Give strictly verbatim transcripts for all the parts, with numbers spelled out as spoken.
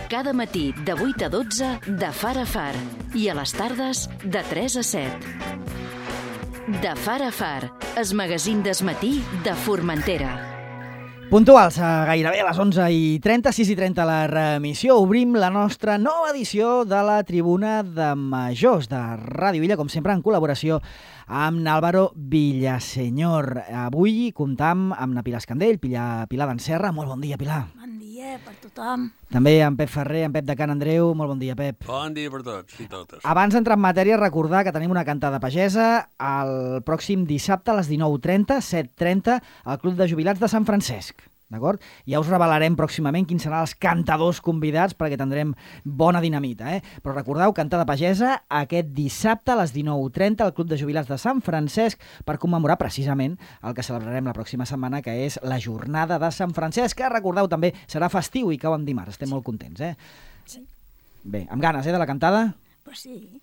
Cada matí de vuit a dotze de Far a Far i a les tardes de tres a set. De Far a Far, es magazín d'esmatí de Formentera. Puntuals, a gairebé a les onze i trenta, sis i trenta la remissió. Obrim la nostra nova edició de la Tribuna de Majors de Ràdio Illa, com sempre en col·laboració amb n'Àlvaro Villaseñor. Avui comptam amb na Pilar Escandell, Pilar, Pilar d'Enserra. Molt bon dia, Pilar. Bon dia per tothom. També en Pep Ferrer, en Pep de Can Andreu. Molt bon dia, Pep. Bon dia per tots i totes. Abans d'entrar en matèria, recordar que tenim una cantada pagesa el pròxim dissabte a les dinou i trenta, set i trenta, al Club de Jubilats de Sant Francesc. D'acord? Ja us revelarem pròximament quins seran els cantadors convidats perquè tindrem bona dinamita, eh? Però recordeu, cantada pagesa aquest dissabte a les dinou i trenta al Club de Jubilats de Sant Francesc per commemorar precisament el que celebrarem la pròxima setmana, que és la Jornada de Sant Francesc, que recordeu també serà festiu i cau en dimarts. Estem molt contents, eh? Sí. Bé, amb ganes, eh, de la cantada? Pues sí.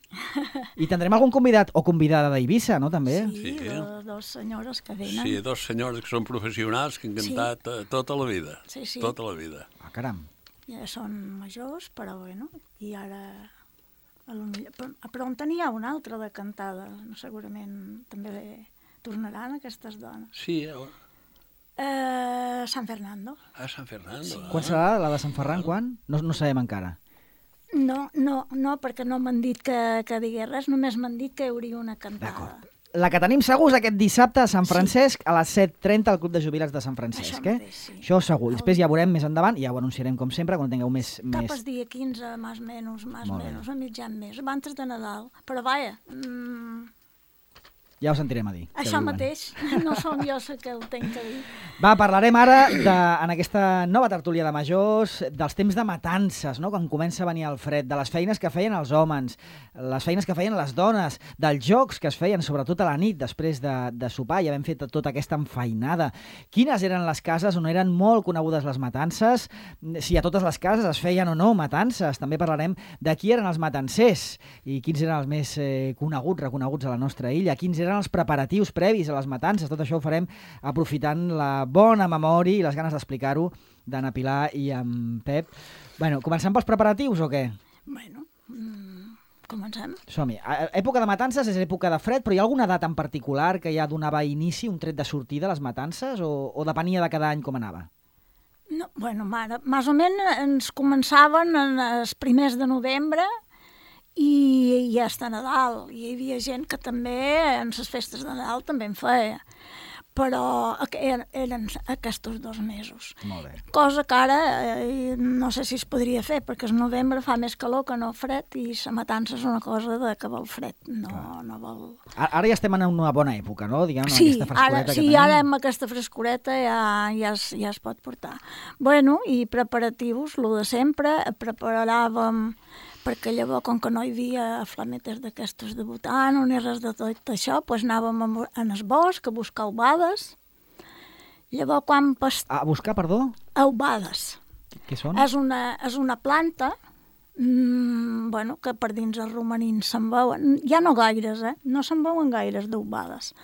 I tindrem algun convidat o convidada d'Eivissa, no, també? Sí, Sí. de, dos senyores que venen. Sí, dos senyors que són professionals que han cantat sí. tota la vida. Sí, sí. Tota la vida. Ah, caram. Ja són majors, però bueno, i ara... A lo millor, però, però en tenia una altra de cantada. Segurament també tornaran aquestes dones. Sí, eh? Eh, San Fernando. A Sant Fernando. Sí. Quan serà la de Sant Ferran, quan? No, no sabem encara. No, no, no, perquè no m'han dit que, que digués res, només m'han dit que hi hauria una cantada. D'acord. La que tenim segur és aquest dissabte a Sant Francesc, sí. A les set i trenta al Club de Jubilats de Sant Francesc. Això eh? mateix, sí. Això segur. I després ja veurem més endavant, i ja ho anunciarem com sempre, quan tingueu més... Cap més... el dia quinze, més o menys, més o menys, a mitjan mes, abans de Nadal. Però vaja... Mm, ja ho sentirem a dir. això mateix, no som jo la que ho tenc que dir. Va, parlarem ara, de, en aquesta nova tertúlia de majors, dels temps de matances, no? Quan comença a venir el fred, de les feines que feien els homes, les feines que feien les dones, dels jocs que es feien, sobretot a la nit, després de, de sopar, ja vam fet tota aquesta enfeinada. Quines eren les cases on eren molt conegudes les matances? Si a totes les cases es feien o no matances. També parlarem de qui eren els matancers i quins eren els més eh, coneguts, reconeguts a la nostra illa, quins eren els preparatius previs a les matances. Tot això ho farem aprofitant la bona memòria i les ganes d'explicar-ho d'Anna Pilar i en Pep. Bueno, comencem pels preparatius o què? Bueno, mm, comencem. Som-hi. Època de matances és època de fred, però hi ha alguna data en particular que ja donava inici, un tret de sortida a les matances, o, o depenia de cada any com anava? No, bueno, mare, més o menys ens començaven en els primers de novembre i ja està Nadal. Hi havia gent que també en les festes de Nadal també en feia, però eren aquests dos mesos. Molt bé. Cosa que ara eh, no sé si es podria fer, perquè el novembre fa més calor que no fred i la matança és una cosa de que vol fred, no, no vol... Ara ja estem en una bona època, no? Diguem, sí, aquesta frescoreta ara, que sí, tenim. ara amb aquesta frescoreta ja, ja, es, ja es pot portar. Bueno, i preparatius, el de sempre, preparàvem... perquè llavors, com que no hi havia flametes d'aquestos debutant o ni res de tot això, doncs anàvem en el bosc a buscar aubades. Llavors, quan... Past... A buscar, perdó? Aubades. Què són? És una, és una planta mmm, bueno, que per dins els romanins se'n veuen. Ja no gaires, eh? No se'n veuen gaires d'aubades.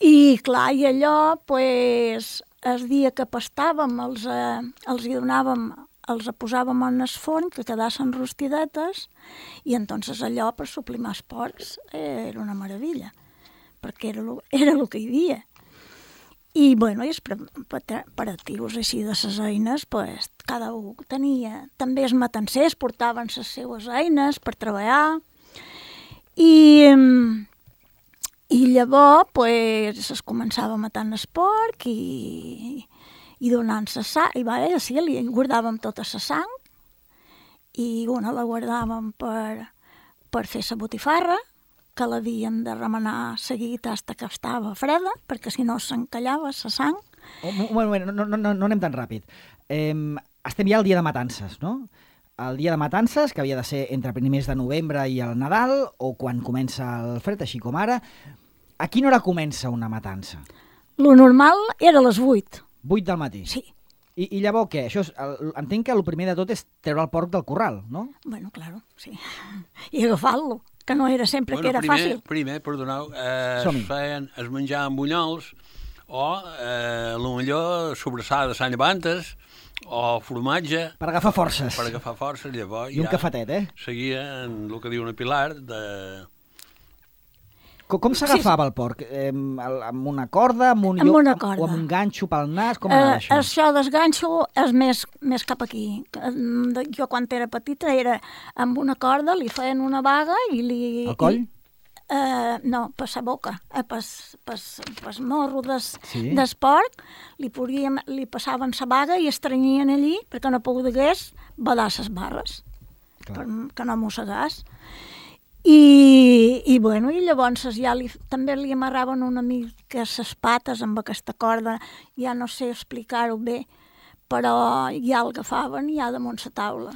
I, clar, i allò, pues, el dia que pastàvem, els, eh, els hi donàvem... els posàvem en el forn, que quedassin rostidetes, i entonces allò per suplimar els porcs eh, era una meravella, perquè era el, era el que hi havia. I, bueno, i els preparatius així de les eines, pues, cada un tenia. També els matancers portaven les seues eines per treballar, i, i llavors pues, es començava matant el porc i... i donant la sang, i va, sí, li guardàvem tota la sang, i una la guardàvem per, per fer la botifarra, que l'havíem de remenar seguit fins que estava freda, perquè si no s'encallava la sang. Oh, bueno, bueno, no, no, no, no anem tan ràpid. Eh, estem ja al dia de matances, no? El dia de matances, que havia de ser entre primers de novembre i el Nadal, o quan comença el fred, així com ara. A quina hora comença una matança? Lo normal era a les vuit. vuit del matí? Sí. I, i llavors què? Això és, el, entenc que el primer de tot és treure el porc del corral, no? Bueno, claro, sí. I agafar-lo, que no era sempre bueno, que era primer, fàcil. Primer, perdoneu, eh, es feien, es menjaven bunyols o, eh, potser, sobrassada de Sant Llevantes, o formatge... Per agafar forces. Per agafar forces, llavors I un ja cafetet, eh? seguia en el que diu una Pilar de... Com, com s'agafava el porc? Eh, amb una corda? Amb un, Amb una lloc, corda. O amb un ganxo pel nas? Com anava Eh, això? això desganxo és més, més cap aquí. De- Jo quan era petita era amb una corda, li feien una vaga i li... Al coll? I, eh, no, per la boca, eh, per, per, per morro des, Sí. des porc, li, podíem, li passaven la vaga i estrenyien allí perquè no pogués badar les barres, Clar. per, que no mossegàs. I, i, bueno, i llavors ja li, també li amarraven una mica les pates amb aquesta corda, ja no sé explicar-ho bé, però ja el agafaven ja damunt la taula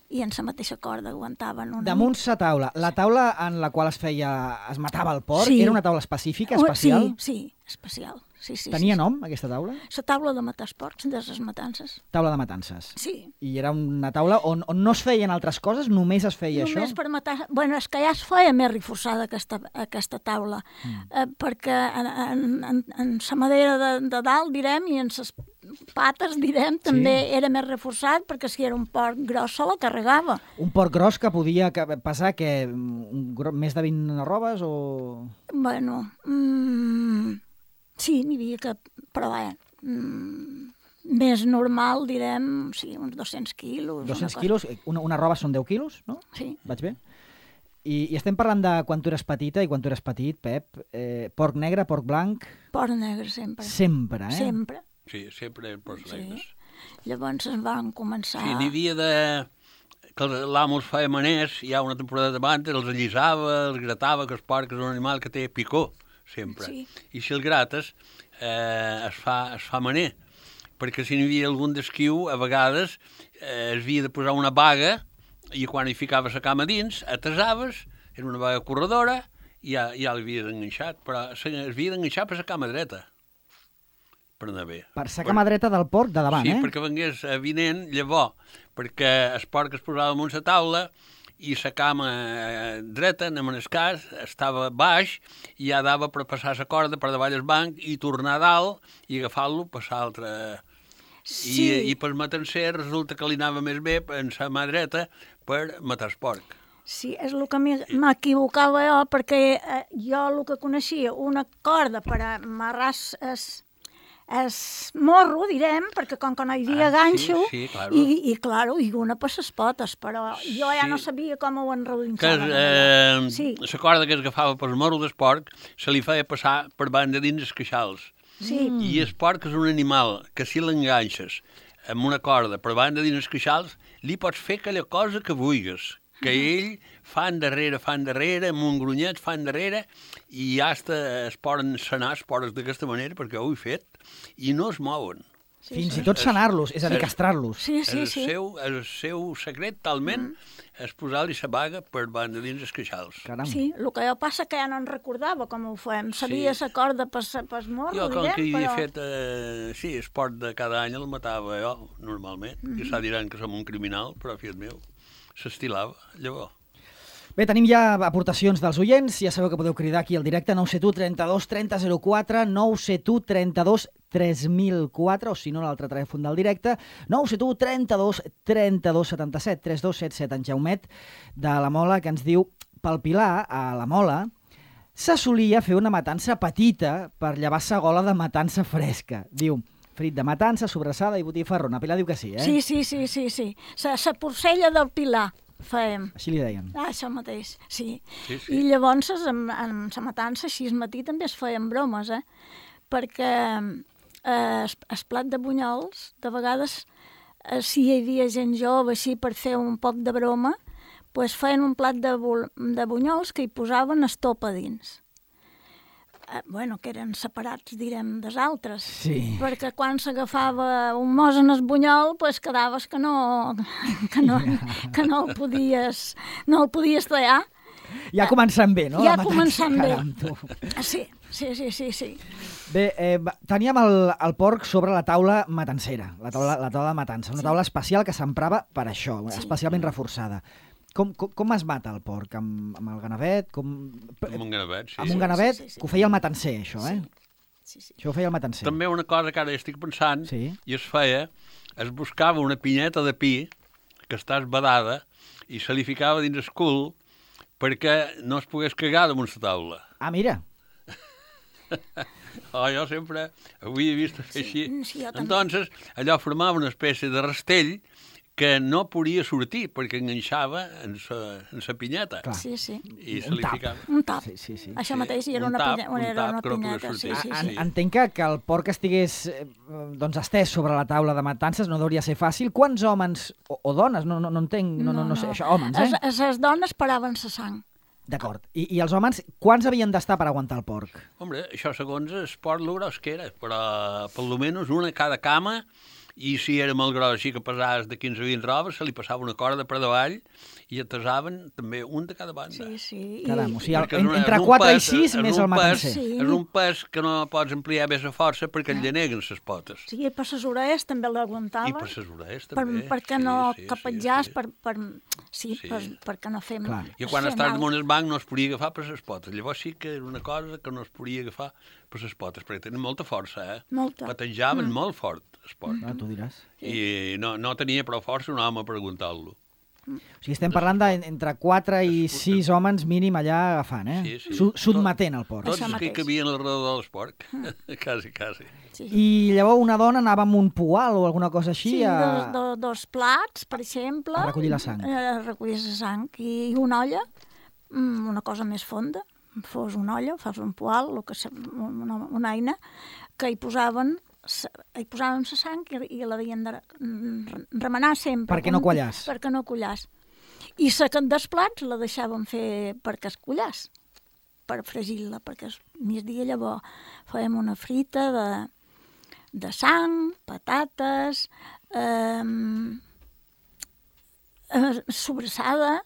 i en la mateixa corda aguantaven una Damunt sa taula. La taula en la qual es feia, es matava el porc, Sí. era una taula específica, mica. especial? Sí, sí, especial. Sí, sí, Tenia sí, nom, aquesta taula? sí. La taula de matar els porcs, de les matances. Taula de matances. Sí. I era una taula on, on no es feien altres coses, només es feia Només això? per matar... Bueno, és que ja es feia més reforçada aquesta, aquesta taula, mm. eh, perquè en, en, en, en la madera de, de dalt, direm, i en les pates, direm, també Sí. era més reforçat, perquè si era un porc gros se la carregava. Un porc gros que podia que- pesar que, un, gro- més de vint arrobes o... Bueno, mm, sí, n'hi havia que... Però bé, mm, més normal, direm, sí, uns dos-cents quilos. una dos-cents cosa- quilos? Una, una roba són deu quilos, no? Sí. Vaig bé? I, I estem parlant de quan tu eres petita i quan tu eres petit, Pep. Eh, porc negre, porc blanc... Porc negre sempre. Sempre, eh? Sempre. Sí, sempre eren porcs Sí. negres. Llavors es van començar... Sí, n'hi havia de... que l'amo els feia maners, ja una temporada abans, els allisava, els gratava, que el porc és un animal que té picor, sempre. Sí. I si el grates, eh, es, fa, es fa maner, perquè si n'hi havia algun d'esquiu, a vegades eh, es havia de posar una baga i quan hi ficaves la cama dins, atasaves, era una baga corredora, i ja, ja l'havies enganxat, però s'havia d'enganxar per la cama dreta, per anar bé. Per sa cama dreta del porc de davant, sí, eh? Sí, perquè vengués avinent, llavors, perquè el porc es posava damunt la taula i la cama eh, dreta, en el cas, estava baix i ja dava per passar la corda per davall del banc i tornar a dalt i agafar-lo, passar l'altre... Sí. I, I per matancer resulta que li anava més bé en la mà dreta per matar el porc. Sí, és el que m'hi- m'equivocava jo, perquè eh, jo el que coneixia, una corda per amarrar es, es morro, direm, perquè com que no hi havia Ah, sí, ganxo, sí, claro. i, i, claro, i una per les potes, però jo ja Sí. no sabia com ho Que enrolinxaven. eh, Sí. la corda que es agafava pel morro del porc se li feia passar per banda dins els queixals. Sí, I el porc és un animal que si l'enganxes amb una corda per banda dins els queixals, li pots fer aquella cosa que vulguis, que ell fa endarrere, fa endarrere, amb un grunyet fa endarrere, i ja hasta es poden sanar els porcs d'aquesta manera, perquè ho he fet, i no es mouen. sí, Fins sí. i tot sanar-los, és a dir, Sí. castrar-los. Sí, sí, el, sí. seu, el seu secret, talment, és posar-li la baga per banda dins els queixals. Caram. Sí, el que jo passa que ja no en recordava com ho fem. Sabia Sí. la corda per pel morro, Jo, com direm, que hi havia però... fet, eh, sí, esport de cada any el matava jo, normalment. Mm -hmm. I s'ha diran que som un criminal, però, fiat meu, s'estilava, llavors. Bé, tenim ja aportacions dels oients. Ja sabeu que podeu cridar aquí al directe nou set u trenta-dos trenta zero quatre, nou set u trenta-dos tres mil quatre, o si no, l'altre telèfon del directe, nou set u trenta-dos trenta-dos setanta-set, tres dos set set. En Jaumet, de la Mola, que ens diu: pel Pilar, a la Mola, se solia fer una matança petita per llevar sa gola de matança fresca. Diu, frit de matança, sobrassada i botifarrona. Pilar diu que sí, eh? Sí, sí, sí, sí, sí. La, la porcella del Pilar fèiem. Així li deien. Ah, això mateix, sí. Sí, sí. I llavors, amb, amb la matança, així al matí també es feien bromes, eh? Perquè eh, es, es plat de bunyols, de vegades, eh, si hi havia gent jove així per fer un poc de broma, pues feien un plat de, bul- de bunyols que hi posaven estopa dins. Eh, bueno, que eren separats, direm, dels altres. Sí. Perquè quan s'agafava un mos en el bunyol, pues quedaves que no, que no, que no el podies, no el podies tallar. Ja començant bé, no? Ja La matança, començant bé. caram, tu. Sí, sí, sí, sí, sí. Bé, eh, va- teníem el, el porc sobre la taula matancera, la taula, la taula de matança, una Sí. taula especial que s'emprava per això, Sí. especialment reforçada. Com, com, com es mata el porc? Amb, amb el ganavet? Com... Amb un ganavet, sí. Amb un ganavet, sí, sí, sí. que ho feia el matancer, això, eh? Sí, sí. Això ho feia el matancer. També una cosa que ara estic pensant, Sí. i es feia, es buscava una pinyeta de pi que està esbadada i se li ficava dins el cul perquè no es pogués cagar damunt la taula. Ah, mira. Oh, jo sempre avui he vist fer així. Sí, jo també. Entonces, allò formava una espècie de rastell que no podia sortir perquè enganxava en sa, en sa pinyeta. Clar. Sí, sí. I se Un li tap. ficava... Un tap. Sí, sí, sí. Això Sí, mateix, i era un una, tap, pinya, un era tap una que no podia pinyeta. Sí, sortir. sí, En, sí. entenc que, que el porc estigués eh, doncs estès sobre la taula de matances no hauria ser fàcil. Quants homes o, o dones? No, no, no entenc, no, no, no sé, això, homes, eh? Les, les dones paraven la sang. D'acord. I, I els homes, quants havien d'estar per aguantar el porc? Hombre, això segons el port lo gros que era, però per lo menys una a cada cama, i si era molt gros, així que pesaves de quinze a vint robes, se li passava una corda per davall i atasaven també un de cada banda. Sí, sí. I, Caram, o sigui, el, Perquè és en, una- entre és un quatre i pes- sis és més un el matancer. pes- Sí. És un pes que no pots ampliar més a força perquè et lleneguen les potes. sí, i per les orelles també l'aguantava. I per les orelles per, també. perquè sí, no sí, capetjàs, sí, sí. per, per, sí, Sí. Per, perquè no fem... Clar. I quan fem estàs mal. damunt el banc no es podia agafar per les potes. Llavors sí que era una cosa que no es podia agafar per les potes, perquè tenen molta força, eh? Molta. Patejaven mm. molt fort, el porc. Ah, tu diràs. I no, no tenia prou força un home per aguantar-lo. O sigui, estem parlant d'entre quatre i sis homes mínim allà agafant, eh? Sí, sí. Su Sotmetent el porc. Tots Això els que mateix. hi cabien alrededor del porc. quasi, quasi. Sí. I llavors una dona anava amb un poal o alguna cosa així Sí, a... dos, dos, dos plats, per exemple. A recollir la sang. Eh, A recollir la sang. I una olla, mm, una cosa més fonda, fos una olla, fos un poal, el que se, una, una eina, que hi posaven sa- hi posaven la sang i, i l'havien de re- remenar sempre. Perquè no quallàs. Perquè no quallàs. I secant dels plats la deixàvem fer perquè es quallàs, per fregir-la, perquè el migdia llavors fèiem una frita de, de sang, patates, eh, eh, sobrassada,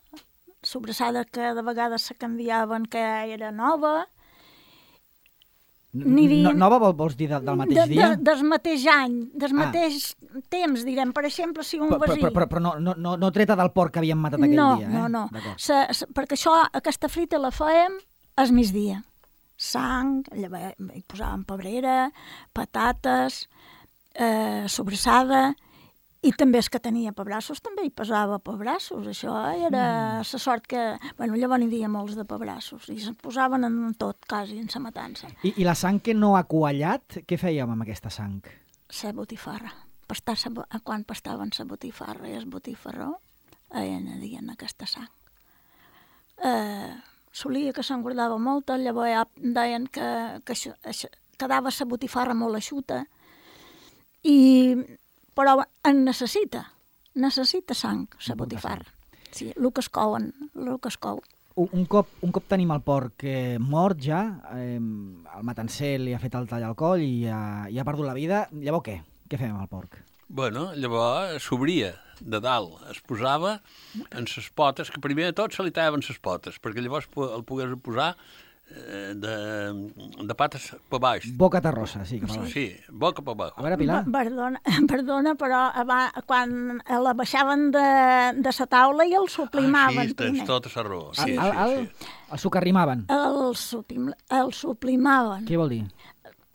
sobrassada que de vegades se canviaven, que era nova. N'hi havia- No, nova vol, vols dir de, del mateix de, dia? De, del mateix any, del Ah. mateix temps, direm. Per exemple, si un Però, però, vesí... però, però, però no, no, no, no treta del porc que havíem matat aquell no, dia, eh? No, no, D'acord. se, se, perquè això, aquesta frita la fèiem al migdia. Sang, llavors hi posàvem pebrera, patates, eh, sobrassada, i també els que tenia pebrassos també hi posava pebrassos. Això era la sort que... Bueno, llavors n'hi havia molts de pebrassos i se'n posaven en tot, quasi, en la matança. I, I la sang que no ha quallat, què fèiem amb aquesta sang? La botifarra. Pastar sa, bo- quan pastaven la botifarra i el botifarró, eh, anadien aquesta sang. Eh, solia que se'n guardava molta, llavors ja deien que, que això, això, quedava la botifarra molt eixuta, i, però en necessita, necessita sang, la botifarra. Sí, el que es couen, el que es cou. Un, un, cop, un cop tenim el porc eh, mort ja, eh, el matancer li ha fet el tall al coll i ha, i ha perdut la vida, llavors què? Què fem amb el porc? Bueno, llavors s'obria de dalt, es posava en ses potes, que primer de tot se li tallaven ses potes, perquè llavors po- el pogués posar eh, de, de pates per baix. Boca terrossa, sí. Cap a baix. Sí, boca per baix. A veure, Pilar. Pa- Perdona, perdona, però aba- quan la baixaven de, de la taula i el Ah, suplimaven sí, tens primer. tota la raó. Sí, el, el, sí, el, sí. el sucarrimaven. El, suplim, el suplimaven, Què vol dir?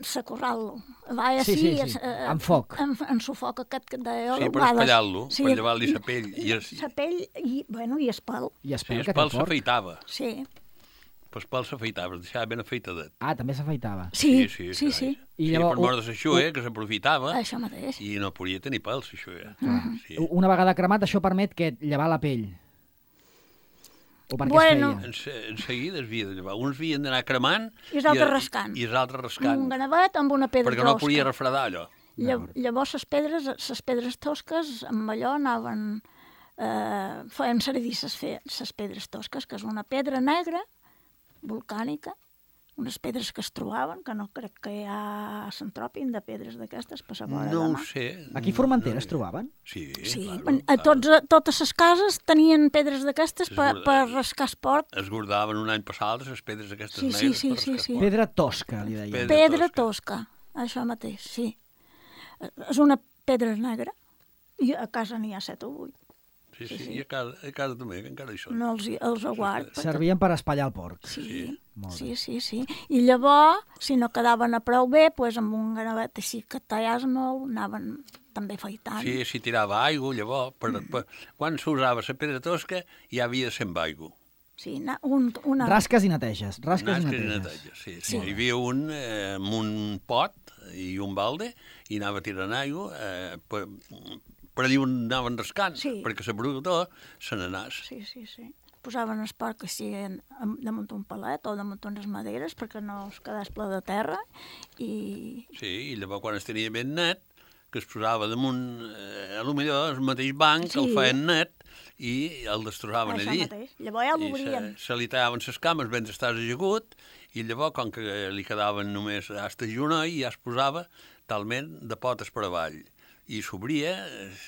sacorral-lo. Va Sí, així, sí, sí. eh, Amb foc. En, en su foc aquest que deia. Sí, per espallar-lo, per llevar-li la pell. I es, La pell i, bueno, i el pèl. I sí, espera el que té pèl el porc. s'afeitava. Sí, El pèl s'afeitava, es deixava ben afeitadet. Ah, també s'afeitava. sí, sí, sí. sí, carai. sí. I Sí, llavors, per mort de l'aixuer, que s'aprofitava, Això mateix. i no podia tenir pèls, l'aixuer. Sí. Una vegada cremat, això permet que llevar la pell. O per què Bueno. es feia? En, se- en seguida es havia de llevar. Uns havien d'anar cremant I els altres i- rascant. I els altres rascant, Un ganavet amb una pedra perquè no tosca. podia refredar allò. Lla- Llavors les pedres, les pedres tosques, amb allò anaven... Eh, feien servir les pedres tosques, que és una pedra negra, volcànica, unes pedres que es trobaven, que no crec que ja s'entropin de pedres d'aquestes per la vora No de ho mà. sé. Aquí a Formentera es trobaven? Sí, Sí, claro, a, tots, a totes les cases tenien pedres d'aquestes És per, verdad. per rascar el porc. Es guardaven un any passat les pedres aquestes Sí, sí, negres. sí, per sí, rascar sí. porc. Pedra tosca, li deia. Pedra Pedra tosca. tosca, això mateix, sí. Eh, És una pedra negra, i a casa n'hi ha set o vuit. Sí, sí, i a casa, a casa també, que encara hi són. No els, hi- els aguard. perquè- Servien per espatllar el porc. Sí, Molt sí, sí, sí. I llavors, si no quedaven a prou bé, doncs amb un gravet així que tallas molt, anaven també afaitant. Sí, s'hi tirava aigua, llavors, per, per, quan s'usava la pedra tosca, ja havia de ser amb aigua. Sí, na, un, una... Rasques i neteges, rasques Nasques i i neteges. neteges, sí, sí. Hi havia un eh, amb un pot i un balde i anava tirant aigua eh, per, per allà on anaven rascant, Sí. perquè la brutó se n'anàs. Sí, sí, sí. Posaven el porc que sigui damunt un palet o damunt unes maderes perquè no es quedés ple de terra i... Sí, i llavors quan es tenia ben net, que es posava damunt, eh, a lo millor el mateix banc, Sí. el feien net i el destrozaven Això allí. mateix. Llavors ja I l'obrien. se, se li tallaven les cames ben estàs ajagut i llavors, com que li quedaven només hasta el genoll, ja es posava talment de potes per avall. I s'obria,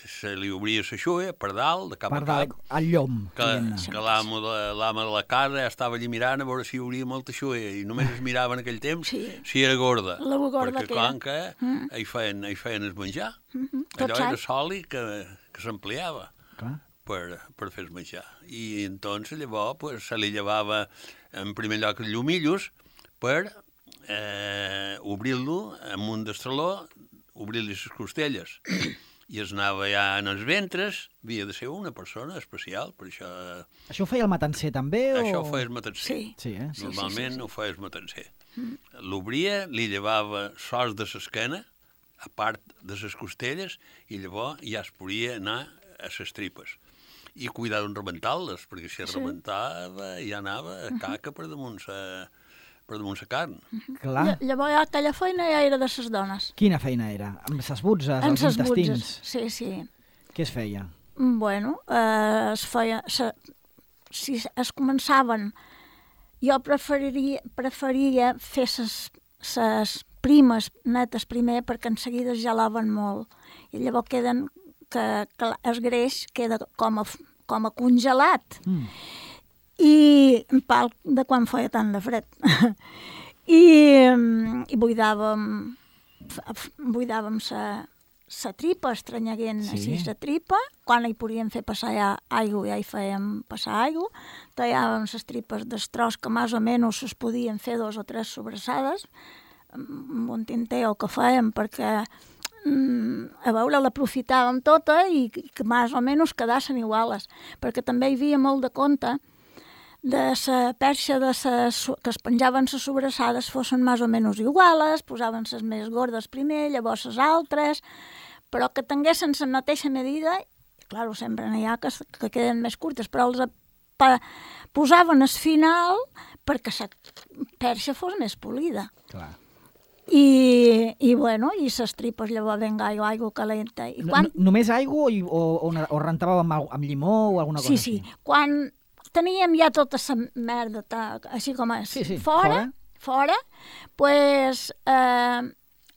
se li obria la xuia per dalt, de cap Per a dalt, cap, al llom. que, diguem-ne. que l'amo de, l'ama de la casa ja estava allí mirant a veure si hi hauria molta xuia i només es mirava en aquell temps Sí. si era gorda. La gorda perquè que era. com que Mm. hi feien, hi feien el menjar. Mhm, tot Allò era sa. soli que, que s'ampliava Clar. per, per fer el menjar. I entonces llavors pues, se li llevava en primer lloc els llumillos per eh, obrir-lo amb un destraló, obrir-li les costelles. I es anava ja en els ventres, havia de ser una persona especial, per això, Això ho feia el matancer també? O... això ho feia el matancer. Sí. Sí, eh? Sí, Normalment sí, sí, sí. ho feia el matancer. L'obria, li llevava sos de l'esquena, a part de les costelles, i llavors ja es podia anar a les tripes. I cuidar d'un rebentar-les, perquè si es Sí. rebentava ja anava a caca per damunt la per damunt la carn. Clar. Lla- Llavors ja aquella feina ja era de les dones. Quina feina era? Amb ses butzes, En els ses intestins? butzes. Sí, sí. Què es feia? Bueno, eh, es feia... Se, si es començaven... Jo preferiria, preferia fer ses primes netes primer perquè en seguida es gelaven molt. I llavors queden... que, que el greix queda com a, f- com a congelat. Mm. I en pal de quan feia tant de fred. I, mm, i buidàvem, f- f- buidàvem sa, sa tripa, estranyaguent Sí. sí. així sa tripa. Quan hi podíem fer passar ja aigua, ja hi fèiem passar aigua. Tallàvem ses tripes d'estros que més o menys es podien fer dos o tres sobrassades amb un tinteo que fèiem perquè mm, a veure, l'aprofitàvem tota i que, que més o menys quedassin iguales, perquè també hi havia molt de compte de la perxa de ses, que es penjaven les sobrassades fossin més o menys iguales, posaven les més gordes primer, llavors les altres, però que tinguessin la mateixa medida, clar, sempre n'hi ha que, que queden més curtes, però els pa, posaven al final perquè la perxa fos més polida. Clar. I, i bueno, i les tripes llavors venga aigua, aigua calenta. I No, quan... no, només aigua o, o, o, una- o rentàveu amb, au- amb llimó o alguna cosa Sí, així? sí. Quan teníem ja tota la merda, ta, així com és, Sí, sí, fora, fora, pues, eh,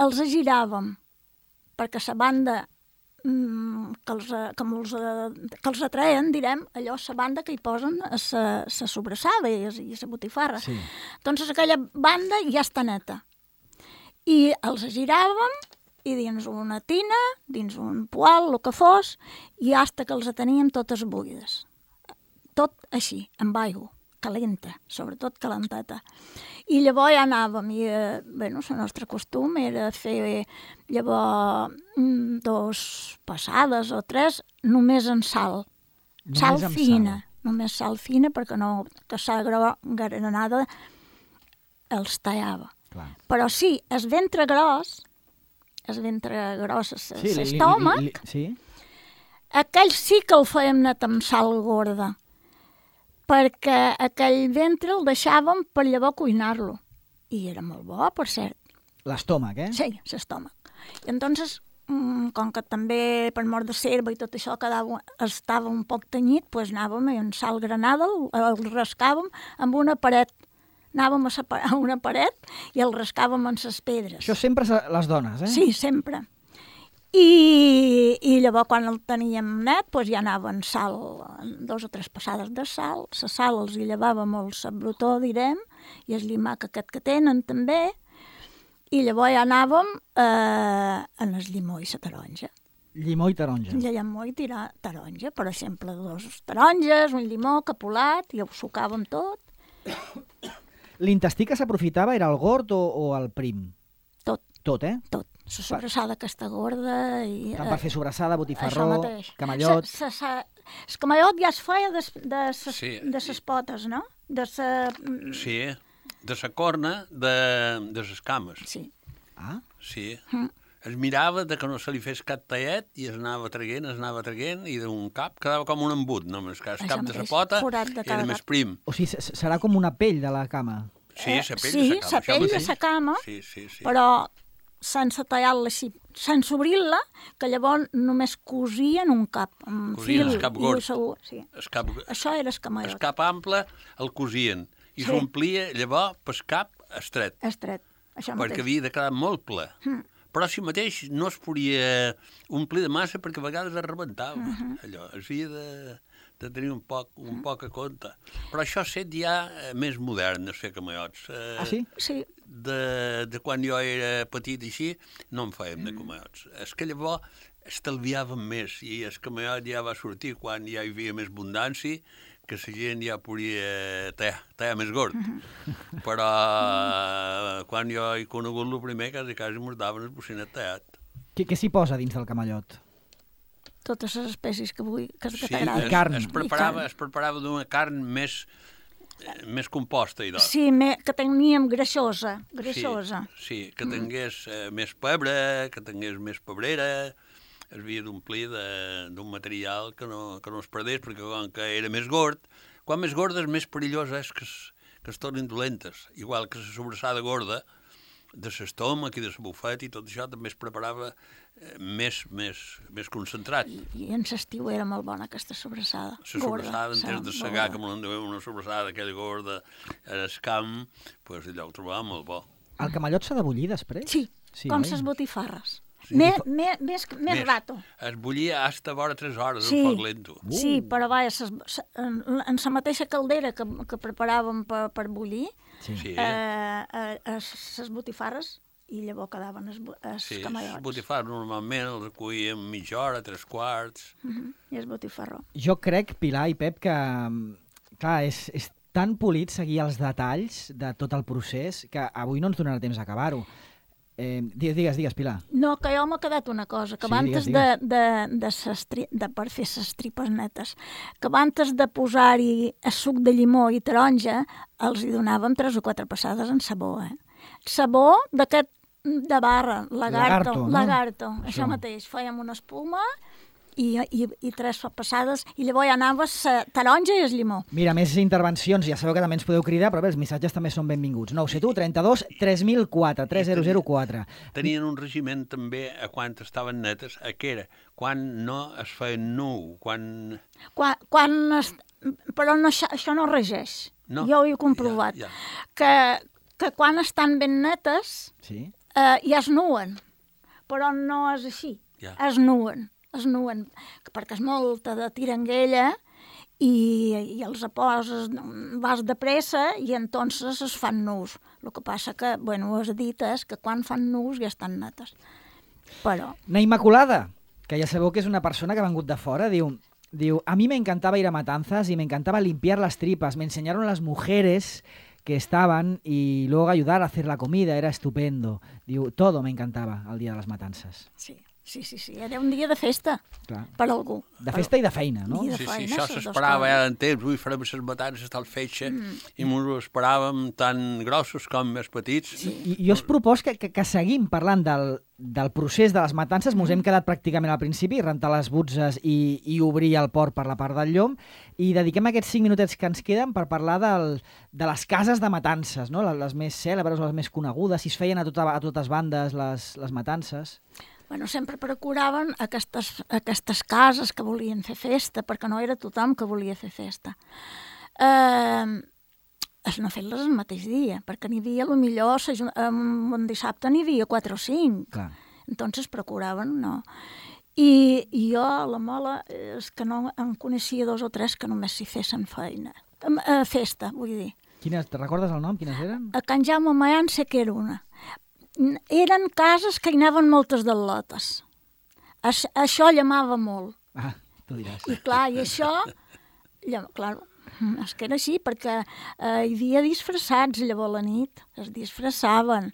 els giràvem, perquè la banda mm, que, els, eh, que, els, eh, que els atreien, direm, allò, la banda que hi posen a la sobrassada i la botifarra. Sí. Doncs aquella banda ja està neta. I els giràvem i dins una tina, dins un poal, el que fos, i hasta que els teníem totes buides. Tot així, amb aigua, calenta, sobretot calenteta. I llavors ja anàvem, i eh, bueno, el nostre costum era fer llavors mm, dos passades o tres, només en sal. Només Sal amb fina, sal. només sal fina, perquè no, que sal gro- granada els tallava. Clar. Però sí, el ventre gros, el ventre gros, Sí, li- li- l'estómac, li- li- sí. aquell sí que el fèiem net amb sal gorda, perquè aquell ventre el deixàvem per llavors cuinar-lo. I era molt bo, per cert. L'estómac, eh? Sí, l'estómac. I entonces, mm, com que també per mort de serva i tot això quedava, estava un poc tenyit, doncs anàvem i en sal granada el, el rascàvem amb una paret. Anàvem a, separ- a una paret i el rascàvem en les pedres. Això sempre se- les dones, eh? Sí, sempre. I, i llavors quan el teníem net doncs ja anaven sal, dos o tres passades de sal, la sal els hi llevava molt la brutó, direm, i el llimac aquest que tenen també, i llavors ja anàvem eh, en el llimó i la taronja. Llimó i taronja. I llimó i tirar taronja, per exemple, dos taronges, un llimó capolat, i ho sucàvem tot, L'intestí que s'aprofitava era el gord o, o el prim? tot, Tot, eh? tot, La sobrassada aquesta gorda... I, Tant per fer sobrassada, això botifarró, mateix. camallot... Sa, sa, sa, el camallot ja es feia de, de, ses, Sí. de ses potes, no? De sa... Sí, de la corna de, de les cames. Sí. Ah, Sí. Mm. Es mirava de que no se li fes cap tallet i es anava traient, es anava traient i d'un cap quedava com un embut, només que el Això cap de la mateix, pota forat de cada era cap. més prim. o sigui, s- serà com una pell de la cama. Sí, la pell sí, de la cama. la això pell de mateix. la cama, Sí, sí, sí. però sense tallar-la així, sense obrir-la, que llavors només cosien un cap, amb Cosien fil el cap i gord. segur, sí. El cap, Això era el el camallot, cap ample el cosien i Sí. s'omplia llavors pel cap estret, estret, això perquè mateix. havia de quedar molt ple. Mm. Però si mateix no es podia omplir de massa perquè a vegades es rebentava. Mhm. Allò, es havia de, de tenir un poc, un poc a compte. Però això ha set ja eh, més modern, els fer camallots. Eh, Ah, sí? Sí, de, de quan jo era petit així, no en fèiem de camallots. És que llavors estalviàvem més i el camallot ja va sortir quan ja hi havia més abundància, que la gent ja podia tallar, tallar més gord. Però eh, quan jo he conegut el primer, quasi quasi mos daven el bocinet tallat. Què, què s'hi posa dins del camallot? totes les espècies que, vull, que, que Sí, t'agraden. es, carn. es I preparava, carn. es preparava d'una carn més, eh, més composta i tot. Sí, me, que teníem greixosa, greixosa. Sí, sí, que tingués eh, més pebre, que tingués més pebrera, es havia d'omplir de- d'un material que no, que no es perdés, perquè com que era més gord, quan més gorda és més perillós és que es, que es tornin dolentes. Igual que la sobrassada gorda, de l'estómac i de la bufeta i tot això també es preparava eh, més, més, més concentrat. I, I en l'estiu era molt bona aquesta sobrassada. La sobrassada, en temps de segar, que que... me l'endeveu una sobrassada aquella gorda al camp, pues allò ho trobava molt bo. El camallot s'ha de bullir després? Sí, Sí, com oi? les botifarres. Sí. Més, més, més, més rato. Es bullia hasta vora tres hores Sí. en foc lento. Uh. Sí, però vaja, ses, se, en, en la mateixa caldera que, que preparàvem per, per bullir, Sí. Sí, eh, eh, les botifarres, i llavors quedaven els, els sí. camallots. Els botifars normalment els recuïem mitja hora, tres quarts. Uh -huh. I el botifarró. Jo crec, Pilar i Pep, que clar, és, és tan polit seguir els detalls de tot el procés que avui no ens donarà temps d'acabar-ho. Eh, digues, digues, digues, Pilar. No, que jo m'ha quedat una cosa, que Sí, abans digues, de, de, de, ses tri, de per fer les tripes netes, que abans de posar-hi el suc de llimó i taronja, els hi donàvem tres o quatre passades en sabó, eh? Sabó d'aquest de barra, lagarto, Lagarto, no? lagarto, això, Això. mateix. Fèiem una espuma i, i, i tres passades, i llavors ja anava la taronja i el llimó. Mira, més intervencions, ja sabeu que també ens podeu cridar, però bé, els missatges també són benvinguts. nou set u, trenta-dos, tres mil quatre, tres zero zero quatre. Tenien un regiment també a quan estaven netes, a què era? Quan no es feien nu, quan... Quan, quan es, però no, això, això no regeix. No? Jo ho he comprovat. Ja, ja. Que, que quan estan ben netes Sí? eh, ja es nuen, però no és així. Ja. Es nuen, es nuen, perquè és molta de tiranguella i, i els poses, vas de pressa i entonces es fan nus. El que passa que, bueno, ho has dit, és que quan fan nus ja estan netes. Però, Na Immaculada, que ja sabeu que és una persona que ha vengut de fora, diu, diu, a mí me encantaba ir a matanzas y me encantaba limpiar las tripas. Me enseñaron las mujeres que estaban y luego ayudar a hacer la comida, era estupendo. Diu, todo me encantaba al día de las matanzas. sí, sí, sí, sí, era un dia de festa Clar. per algú. De festa i de feina, no? I de Sí, sí, feina, això ses dos s'esperava coses. ja en temps, ui, farem les matances tal fetge, mm. i ens ho esperàvem tan grossos com més petits. Sí. I jo us propos que, que, que seguim parlant del, del procés de les matances. Mos hem quedat pràcticament al principi, rentar les butzes i, i obrir el port per la part del llom, i dediquem aquests cinc minutets que ens queden per parlar del, de les cases de matances, no? les, les més cèlebres, les més conegudes, si es feien a, tota, a totes bandes les, les matances. Bueno, sempre procuraven aquestes, aquestes cases que volien fer festa, perquè no era tothom que volia fer festa. Eh, es no fer-les el mateix dia, perquè n'hi havia, potser, un dissabte n'hi havia quatre o cinc. Clar. Entonces procuraven, no. I, i jo, la mola, és que no en coneixia dos o tres que només s'hi fessin feina. Eh, festa, vull dir. Quines, te recordes el nom? Quines eren? A Can Jaume Mayan sé que era una. Eren cases que hi anaven moltes d'al·lotes. Aix, això llamava molt. Ah, tu diràs. I clar, i això, llam, clar, és que era així, perquè eh, hi havia disfressats llavors a la nit, es disfressaven,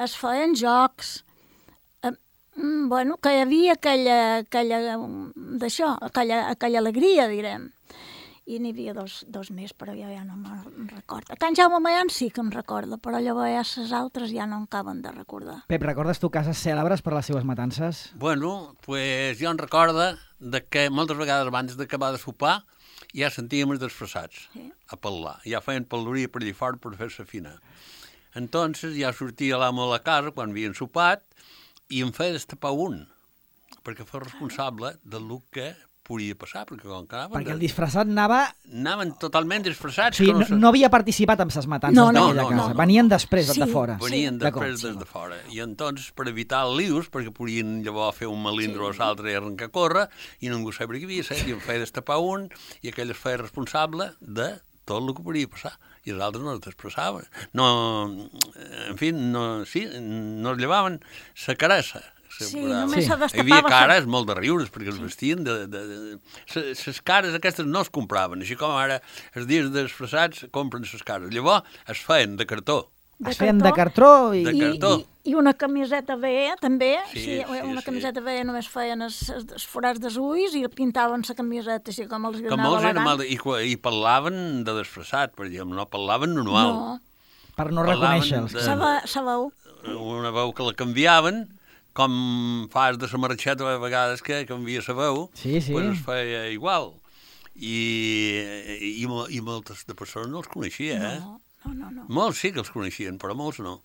es feien jocs, eh, Mm, bueno, que hi havia aquella, aquella, d'això, aquella, aquella alegria, direm. I n'hi havia dos, dos més, però jo ja no me'n recordo. A Can Jaume Mayan sí que em recordo, però llavors les altres ja no em caben de recordar. Pep, recordes tu cases cèlebres per les seves matances? Bueno, pues jo em recordo de que moltes vegades abans d'acabar de sopar ja sentíem els desfressats Sí. a parlar. Ja feien pel·loria per allà fora per fer-se fina. Entonces ja sortia l'amo a la casa quan havien sopat i em feia destapar un, perquè fos responsable del que podia passar, perquè com que anaven... Perquè el disfressat anava... Anaven totalment disfressats. Sí, que no, se- no havia participat en ses matances No, no, d'aquella no, casa. no, no. Venien després Sí. de fora. Venien D'acord. després des de fora. I entonces, per evitar el lius, perquè podien llavors fer un melindro sí. a l'altre i arrencar a córrer, i ningú sabia què havia set, i em feia destapar un, i aquell es feia responsable de tot el que podia passar. I els altres no es despressaven. No, en fi, no, sí, no es llevaven sa carassa. Sí, Brava. només Sí. se Hi destapava... havia cares molt de riures, perquè els vestien de... de, de... Les cares aquestes no es compraven, així com ara els dies disfressats compren les cares. Llavors es feien de cartó. de Es feien de cartró i... De I, cartó. i, I una camiseta veia, també. Sí, Sí, sí, una sí. camiseta veia només feien els, els forats dels ulls i pintaven la camiseta així com els Que anava molts eren elegant. mal... I, I parlaven de disfressat, per exemple, no parlaven normal. No, Per no Parlaven reconèixer-los. de- se ve- se veu. Una veu que la canviaven, com fas de la marxeta a vegades que canvia la veu, Sí, sí. pues es feia igual. I, i, mo- i moltes de persones no els coneixia, eh? No, no, no. no. Molts sí que els coneixien, però molts no.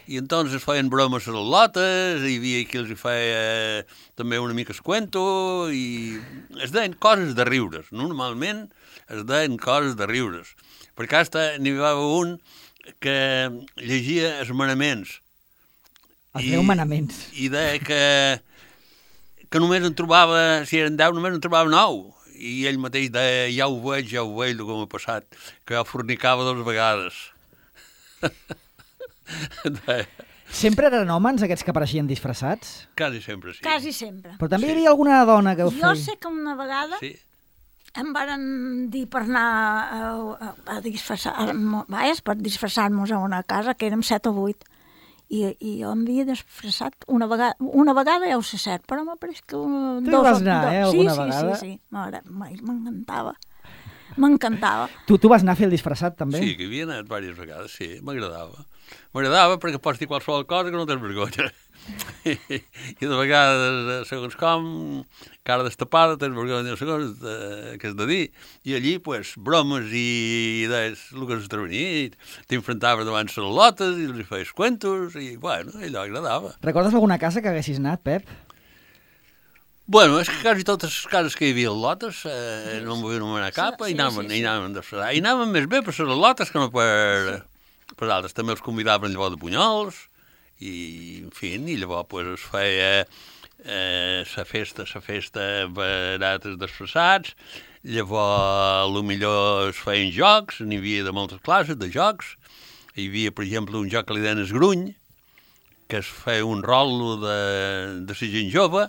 I entonces feien bromes a les lotes, hi havia qui els hi feia també una mica es cuento, i es deien coses de riures. Normalment es deien coses de riures. Perquè hasta n'hi va haver un que llegia els manaments. Els deu manaments. I deia que, que només en trobava, si eren deu, només en trobava nou. I ell mateix deia, ja ho veig, ja ho veig, el que m'ha passat, que jo fornicava dues vegades. deia, Sempre eren homes aquests que apareixien disfressats? quasi sempre sí. Quasi sempre. Però també Sí. hi havia alguna dona que ho Jo feia. sé que una vegada Sí. em varen dir per anar a, a, a disfressar-nos, vaja, per disfressar-nos a una casa, que érem set o vuit. I, i jo em havia disfressat una vegada, una vegada ja ho sé cert, però m'apareix que... Un, Tu hi vas anar, eh, alguna sí, vegada? Sí, sí, sí, m'encantava. M'encantava. Tu, tu vas anar a fer el disfressat, també? Sí, que hi havia anat diverses vegades, sí, m'agradava. M'agradava perquè pots dir qualsevol cosa que no tens vergonya. I, i de vegades, segons com, cara destapada, tens vergonya, segons eh, què has de dir. I allí, pues, bromes i idees, el que has intervenit, t'infrontaves davant les lotes i els hi feies cuentos, i, bueno, allò agradava. Recordes alguna casa que haguessis anat, Pep? Bueno, és que quasi totes les cases que hi havia a lotes eh, no em vull anomenar cap, Sí, i anaven, sí, i sí. anaven de fresar. I anaven més bé per les lotes que no per, per altres. També els convidaven llavors de bunyols, i, en fi, i llavors pues, es feia eh, la festa, la festa barates disfressats, llavors a lo millor es feien jocs, n'hi havia de moltes classes de jocs. Hi havia, per exemple, un joc que li deien es gruny, que es feia un rol de, de la gent jove,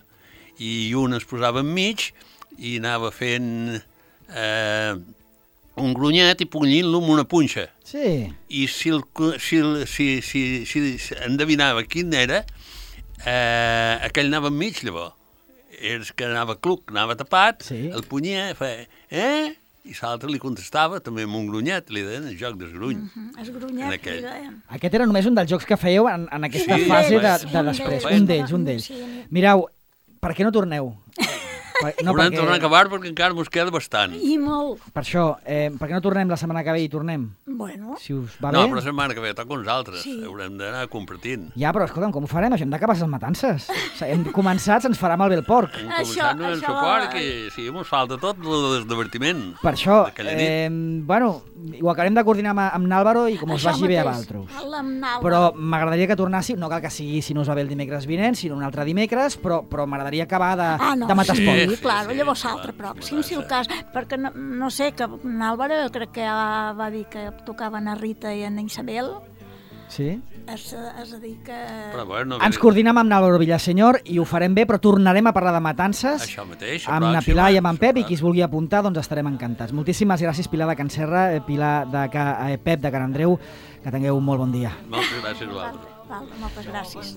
i un es posava enmig i anava fent eh, un grunyet i punyint-lo amb una punxa. Sí. I si, el, si, el, si, si, si, si endevinava quin era, eh, aquell anava enmig, llavors. És que anava cluc, anava tapat, Sí. el punyia, feia, eh? I l'altre li contestava també amb un grunyet, li deien el joc del gruny. Mm, es En grunyet, aquell. li deien. Aquest era només un dels jocs que fèieu en, en aquesta Sí, fase un de, d'ells, de un després. d'ells. Un d'ells, un d'ells. Sí. Mireu, per què no torneu? Per, No, Haurem perquè- tornar a acabar perquè encara mos queda bastant. I molt. Per això, eh, per què no tornem la setmana que ve i tornem? Bueno, Si us va No, bé? però la setmana que ve toca uns altres. Sí. Haurem d'anar compartint. Ja, però escolta'm, com ho farem? Això hem d'acabar les matances. O sigui, hem començat, se'ns farà malbé el porc. Hem Això- començat no en això- suport, que sí, mos falta tot el divertiment. Per això, D'aquella nit. eh, bueno, ho acabarem de coordinar amb, amb Nàlvaro i com us això vagi bé a mateix, vosaltres. amb Nàlvaro. Però m'agradaria que tornàssiu, no cal que sigui si no us va bé el dimecres vinent, sinó un altre dimecres, però, però m'agradaria acabar de, Ah, no, de matar sí, esport. sí, sí, clar, sí, llavors clar, l'altre clar, pròxim, si el sí. cas, perquè no, no sé, que n'Àlvaro crec que ja va dir que tocaven a Rita i a Isabel, Sí? és, és a dir que... Però bueno, Ens coordinem amb Nàlvaro Villasenyor i ho farem bé, però tornarem a parlar de matances Això mateix, la amb na pròxima, Pilar i amb en això Pep, i clar. qui es vulgui apuntar, doncs estarem encantats. Moltíssimes gràcies, Pilar de Can Serra, eh, Pilar de Ca, eh, Pep de Can Andreu, que tingueu un molt bon dia. Moltes gràcies a vosaltres. Val, moltes gràcies.